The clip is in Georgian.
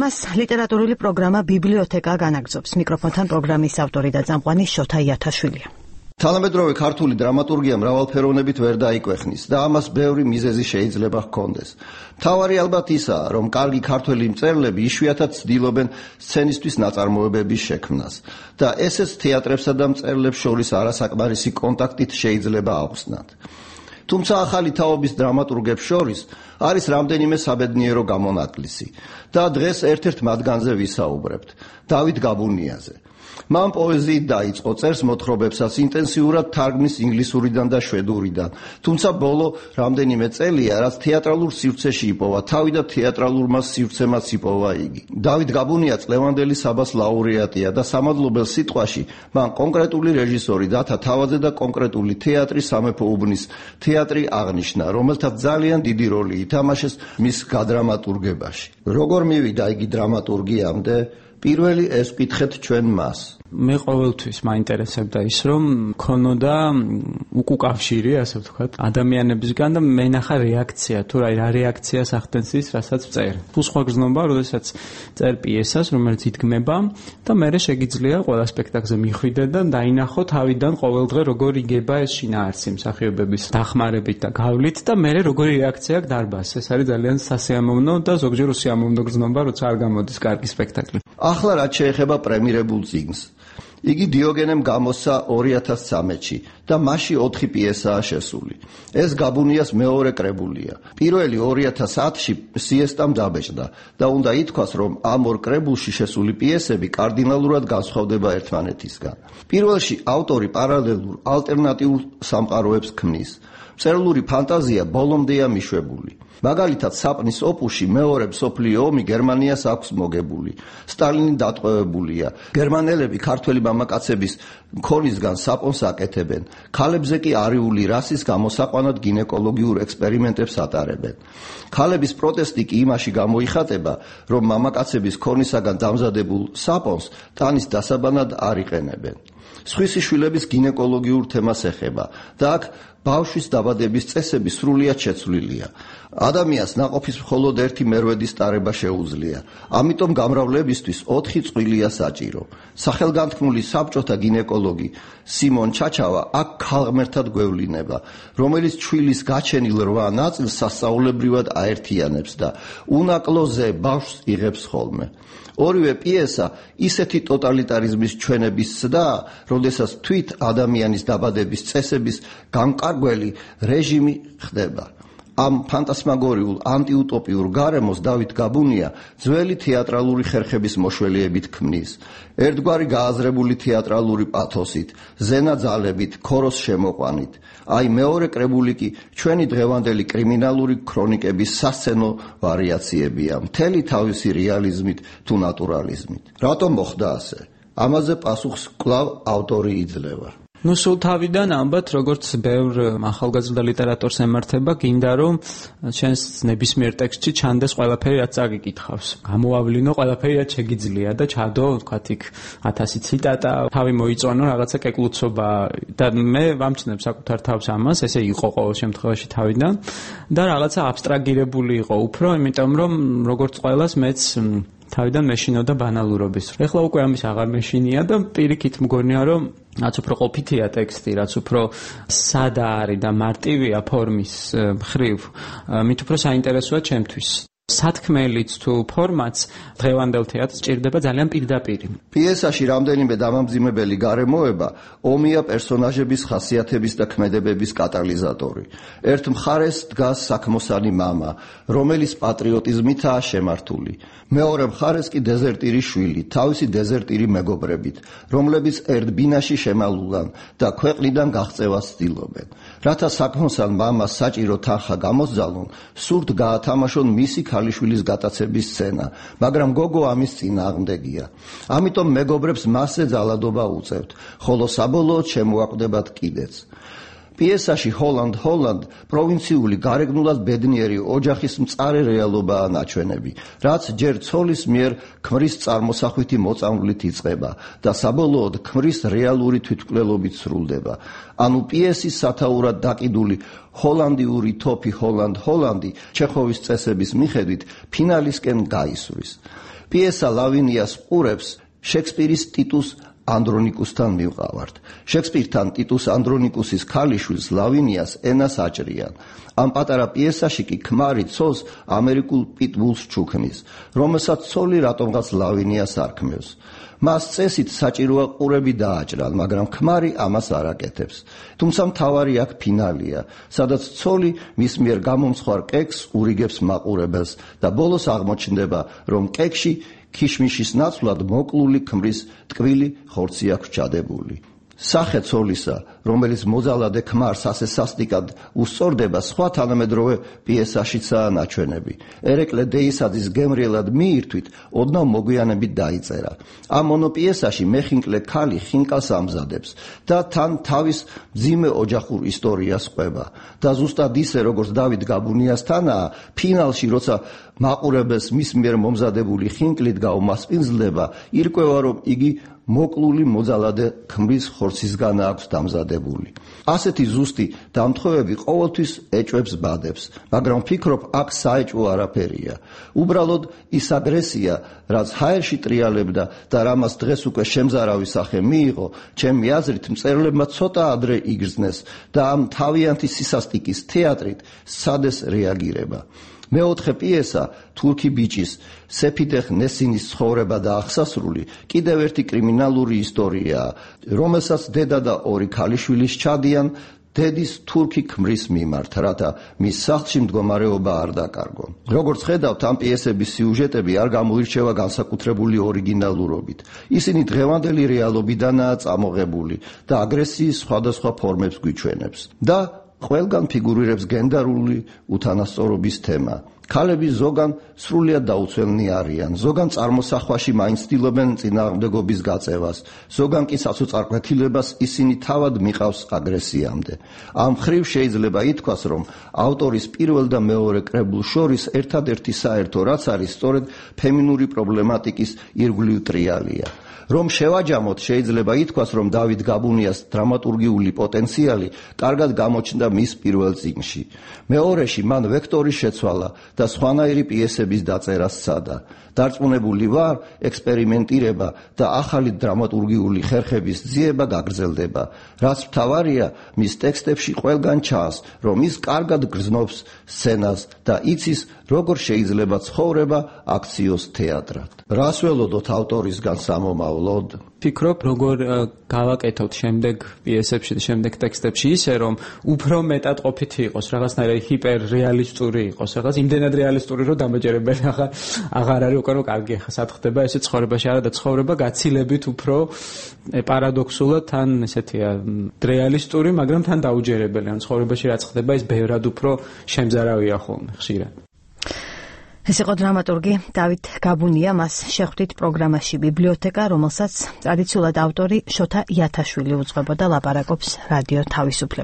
მას ლიტერატურული პროგრამა ბიბლიოთეკა განაგრძობს. მიკროფონთან პროგრამის ავტორი და წამყვანი შოთა იათაშვილია. თანამედროვე ქართული დრამატურგია მრავალფეროვნებით ვერ დაიკვეხნის და ამას ბევრი მიზეზი შეიძლება ჰქონდეს. მთავარი ალბათ ისაა, რომ კარგი ქართველი მწერლები იშვიათად ცდილობენ სცენისთვის ნაწარმოებების შექმნას და ესეც თეატრებსა და მწერლებს შორის არასაკმარისი კონტაქტით შეიძლება აუხსნათ. თუმცა ახალი თაობის დრამატურგებს შორის არის რამდენიმე საბედნიერო გამონაკლისი და დღეს ერთ-ერთ მათგანზე ვისაუბრებთ, დავით გაბუნიაზე. მან პოეზიით დაიწყო, წერს მოთხრობებსაც ინტენსიურად თარგმნის ინგლისურიდან და შვედურიდან, თუმცა ბოლო რამდენიმე წელია, რაც თეატრალურ სივრცეში იპოვა თავი და თეატრალურმა სივრცემაც იპოვა იგი. დავით გაბუნია წლევანდელი საბას ლაურეატია და სამადლობელ სიტყვაში მან კონკრეტული რეჟისორი დათა თავაძე და კონკრეტული თეატრი სამეფო უბნის თეატრი აღნიშნა, რომელთაც ძალიან დიდი როლი ითამაშეს მის გადრამატურგებაში. როგორ მივიდა იგი დრამატურგიამდე? პირველი ეს ვკითხეთ ჩვენ მას. მე ყოველთვის მაინტერესებდა ის, რომ ქონოდა უკუკავშირი, ასე ვთქვათ, ადამიანებისგან და მენახა რეაქცია, თუ რა რეაქციას ახდენს ის, რასაც წერ. თუ სხვა გრძნობა, როდესაც წერ პიესას, რომელიც იდგმება და მერე შეგიძლია ყველა სპექტაკლზე მიხვიდე და დაინახო თავიდან ყოველდღე როგორ იგება ეს შინაარსი მსახიობების დახმარებით და გავლით და მერე როგორი რეაქცია აქვს დარბაზს. ეს არის ძალიან სასიამოვნო და ზოგჯერ უსიამოვნო გრძნობა, როცა არ გამოდის კარგი სპექტაკლი. ახლა რაც შეეხება პრემირებულ წიგნს. იგი დიოგენემ გამოსცა 2013-ში და მასში 4 პიესაა შესული. ეს გაბუნიას მეორე კრებულია. პირველი 2010-ში სიესტამ დაბეჭდა და უნდა ითქვას, რომ ამ ორ კრებულში შესული პიესები კარდინალურად განსხვავდება ერთმანეთისგან. პირველში ავტორი პარალელურ ალტერნატიულ სამყაროებს ქმნის. მწერლური ფანტაზია ბოლომდეა მიშვებული. მაგალითად, საპნის ოპუში მეორე მსოფლიო ომი გერმანიას აქვს მოგებული. სტალინი დატყვევებულია. გერმანელები ქართველი მამაკაცების მქონისგან საპონს აკეთებენ. ქალებზე კი არიული რასის გამოსაყვანად გინეკოლოგიურ ექსპერიმენტებს ატარებენ. ქალების პროტესტი კი იმაში გამოიხატება, რომ მამაკაცების ქონისაგან დამზადებულ საპონს ტანის დასაბანად არ იყენებენ. სხვისი შვილების გინეკოლოგიურ თემას ეხება და აქ ბავშვის დაბადების წესები სრულიად შეცვლილია. ადამიანს ნაყოფის მხოლოდ ერთი მერვედის ტარება შეუძლია. ამიტომ გამრავლებისთვის 4 წყვილია საჭირო. სახელგანთქმული საბჭოთა გინეკოლოგი სიმონ ჩაჩავა აქ ქალღმერთად გვევლინება, რომელიც ჩვილის გაჩენილ 8 ნაწილს სასწაულებრივად აერთიანებს და უნაკლოზე ბავშვს იღებს ხოლმე. ორივე პიესა ისეთი ტოტალიტარიზმის ჩვენების ცდაა, როდესაც თვით ადამიანის დაბადების წესების გამკარგველი რეჟიმი ხდება. ამ ფანტასმაგორიულ ანტიუტოპიურ გარემოს დავით გაბუნია ძველი თეატრალური ხერხების მოშველიებით ქმნის. ერთგვარი გააზრებული თეატრალური პათოსით, ზენაძალებით, ქოროს შემოყვანით. აი მეორე კრებული კი ჩვენი დღევანდელი კრიმინალური ქრონიკების სასცენო ვარიაციებია, მთელი თავისი რეალიზმით თუ ნატურალიზმით. რატომ მოხდა ასე? ამაზე პასუხს კვლავ ავტორი იძლევა. სულ თავიდან ალბათ, როგორც ბევრ ახალგაზრდა ლიტერატორს ემართება, გინდა რომ ჩვენს ნებისმიერ ტექსტში ჩანდეს ყველაფერი, რაც წაგიკითხავს. გამოავლინო ყველაფერი, რაც შეგიძლია და ჩადო, ვთქვათ, იქ 1000 ციტატა, თავი მოიწონო რაღაცა კეკლუცობა და მე ვამჩნევ საკუთარ თავს ამას, ესე იყო ყოველ შემთხვევაში თავიდან და რაღაცა აბსტრაგირებული იყო უფრო, იმიტომ რომ როგორც ყველას მეც თავიდან მეშინოდა ბანალურობის. ეხლა უკვე ამის აღარ მეშინია და პირიქით მგონია, რომ რაც უფრო ყოფითია ტექსტი, რაც უფრო სადა არის და მარტივია ფორმის მხრივ, მით უფრო საინტერესოა ჩემთვის. სათქმელიც თუ ფორმაც დღევანდელ თეატრს ჭირდება ძალიან პირდაპირი. პიესაში რამდენიმე დამამძიმებელი გარემოება ომია პერსონაჟების ხასიათების და ქმედებების კატალიზატორი. ერთ მხარეს დგას საქმოსანი მამა, რომელიც პატრიოტიზმითაა შემართული. მეორე მხარეს კი დეზერტირი შვილი, თავისი დეზერტირი მეგობრებით, რომლებიც ერთ ბინაში შემალულან და ქვეყნიდან გაღწევას ცდილობენ. რათა საქმოსან მამას საჭირო თანხა გამოსძალონ, სურთ გაათამაშონ მისი ქალიშვილის გატაცების სცენა, მაგრამ გოგო ამის წინააღმდეგია. ამიტომ მეგობრებს მასზე ძალადობა უწევთ, ხოლო საბოლოოდ შემოაკვდებათ კიდეც. პიესაში ჰოლანდ პროვინციული გარეგნულად ბედნიერი ოჯახის მწარე რეალობაა ნაჩვენები, რაც ჯერ ცოლის მიერ ქმრის წარმოსახვითი მოწამვლით იწყება და საბოლოოდ ქმრის რეალური თვითმკვლელობით სრულდება. ანუ პიესის სათაურად დაკიდული ჰოლანდიური თოფი ჰოლანდი ჩეხოვის წესების მიხედვით ფინალისკენ გაისვრის. პიესა ლავინიას ყურებს შექსპირის ტიტუს ანდრონიკუსთან მივყავართ. შექსპირთან ტიტუს ანდრონიკუსის ქალიშვილს ლავინიას ენას აჭრიან. ამ პატარა პიესაში კი ქმარი ცოლს ამერიკულ პიტბულს ჩუქნის, რომელსაც ცოლი რატომღაც ლავინიას არქმევს. მას წესით საჭიროა ყურები დააჭრან, მაგრამ ქმარი ამას არ აკეთებს. თუმცა მთავარი აქ ფინალია, სადაც ცოლი მის მიერ გამომცხვარ კექს ურიგებს მაყურებელს და ბოლოს აღმოჩნდება, რომ კექში ქიშმიშის ნაცვლად მოკლული ქმრის ტკბილი ხორცი აქვს ჩადებული. სახე ცოლისა, რომელიც მოძალადე ქმარს ასე სასტიკად უსწორდება, სხვა თანამედროვე პიესაშიცაა ნაჩვენები. ერეკლე დეისაძის გემრიელად მიირთვით, ოდნავ მოგვიანებით დაიწერა. ამ მონოპიესაში მეხინკლე ქალი ხინკალს ამზადებს და თან თავის მძიმე ოჯახურ ისტორიას ყვება. და ზუსტად ისე, როგორც დავით გაბუნიასთანაა, ფინალში, როცა მაყურებელს მის მიერ მომზადებული ხინკლით გაუმასპინძლდება, ირკვევა, რომ იგი მოკლული მოძალადე ქმრის ხორცისგან აქვს დამზადებული. ასეთი ზუსტი დამთხოვები ყოველთვის ეჭვებს ბადებს, მაგრამ ვფიქრობ, აქ საეჭვო არაფერია. უბრალოდ ის აგრესია, რაც ჰაერში ტრიალებდა და რამას დღეს უკვე შემზარავი სახე მიიღო, ჩემი აზრით მწერლებმა ცოტა ადრე იგრძნეს და ამ თავიანთი სისასტიკის თეატრით სცადეს რეაგირება. მეოთხე პიესა თურქი ბიჭის სეფიდეხ ნესინის ცხოვრება და აღსასრული კიდევ ერთი კრიმინალური ისტორიაა, რომელსაც დედა და ორი ქალიშვილი სჩადიან დედის თურქი ქმრის მიმართ, რათა მის სახლში მდგომარეობა არ დაკარგონ. როგორც ხედავთ, ამ პიესების სიუჟეტები არ გამოირჩევა განსაკუთრებული ორიგინალურობით. ისინი დღევანდელი რეალობიდანაა წამოღებული და აგრესიის სხვადასხვა ფორმებს გვიჩვენებს. და ყველგან ფიგურირებს გენდერული უთანასწორობის თემა. ქალები ზოგან სრულიად დაუცველნი არიან, ზოგან წარმოსახვაში მაინც ცდილობენ წინააღმდეგობის გაწევას, ზოგან კი საცოწარკვეთილებას ისინი თავად მიყავს აგრესიამდე. ამ მხრივ შეიძლება ითქვას, რომ ავტორის პირველ და მეორე კრებულს შორის ერთადერთი საერთო რაც არის, სწორედ ფემინური პრობლემატიკის ირგვლივ ტრიალია. რომ შევაჯამოთ, შეიძლება ითქვას, რომ დავით გაბუნიას დრამატურგიული პოტენციალი კარგად გამოჩნდა მის პირველ წიგნში. მეორეში მან ვექტორი შეცვალა და სხვანაირი პიესების დაწერა სცადა. დარწმუნებული ვარ, ექსპერიმენტირება და ახალი დრამატურგიული ხერხების ძიება გაგრძელდება. რაც მთავარია, მის ტექსტებში ყველგან ჩანს, რომ ის კარგად გრძნობს სცენას და იცის, როგორ შეიძლება ცხოვრება აქციოს თეატრად. რას ველოდოთ ავტორისგან სამომავლოდ? ფიქრობ, როგორ გავაკეთოთ შემდეგ პიესებში და შემდეგ ტექსტებში ისე, რომ უფრო მეტად ყოფითი იყოს, რაღაცნაირი ჰიპერრეალისტური იყოს, რაღაც იმდენად რეალისტური, რომ დამაჯერებელი აღარ არის უკვე, რომ კარგი ახლა სად ხდება ესე ცხოვრებაში არა და ცხოვრება გაცილებით უფრო პარადოქსულად თან ესეთია რეალისტური, მაგრამ თან დაუჯერებელი. ან ცხოვრებაში რაც ხდება, ის ბევრად უფრო შემზარავია ხოლმე ხშირად. ეს იყო დრამატურგი დავით გაბუნია, მას შეხვდით პროგრამაში ბიბლიოთეკა, რომელსაც ტრადიციულად ავტორი შოთა იათაშვილი უძღვებოდა, ლაპარაკობს რადიო თავისუფლება.